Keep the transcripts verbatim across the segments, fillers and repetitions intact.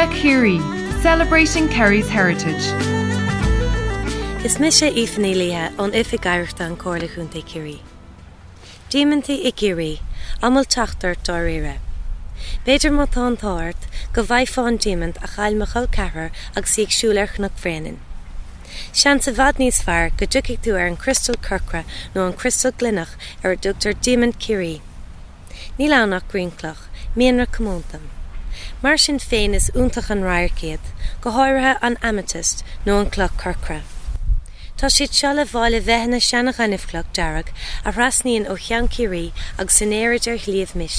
Ceiliúradh Chiarraí, celebrating Kerry's heritage. Is mise Aoife Ní Laoithe ón Oifig Oidhreachta an Chomhairle Chontae Chiarraí. Diamantaí i gCiarraí, an bhfuil teacht ort dáiríre. B'fhéidir má tá an t-ádh ort go bhfaighfeá an diamant a chaill mo chol ceathrar agus í ag siúl ar Chnoc Bhréanainn. Seans i bhfad níos fearr go dtiocfaidh tú ar an criostal corcra nó an criostal gloineach ar a dtugtar diamant Chiarraí. Níl ann ach grianchloch, mianra comónta. Mar sin féin is iontach an radharc iad, go háirithe an amethyst nó an cloch corcra. Tá siad seo le fáil i bhfeitheanna seana-ghaineamhchloch dearg a thrasnaíonn ó Cheann Chiarraí agus in airde ar Shliabh Mis.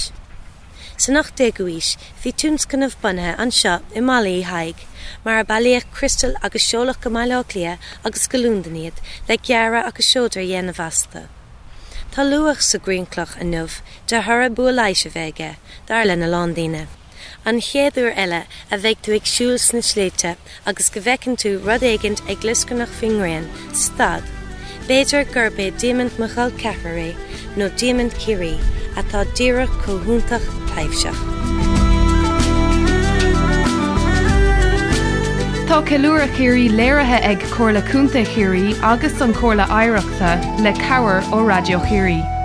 San ocht déagu aois bhí tionscnamh bunaithe anseo i mBaile Uí Thaidhg, mar a bailíodh criostail agus seoladh go Baile Átha Cliath agus go Londain iad le gearradh agus seodra a dhéanamh astu. Tá luach sa ghrianchloch inniu de thoradh bua leighis a bheith aige, dar lena lán daoine. An chéad uair eile a bheidh tú ag siúl sna sléibhte agus go bhfeiceann tú rud éigin ag glioscarnach faoin ngrian, stad. B'fhéidir gurb é diamant mo chol ceathrar é nó diamant Chiarraí atá díreach chomh hiontach taibhseach. Tá Ceiliúradh Chiarraí léirithe ag Comhairle Contae Chiarraí agus an Chomhairle Oidhreachta le cabhair ó Raidió Chiarraí.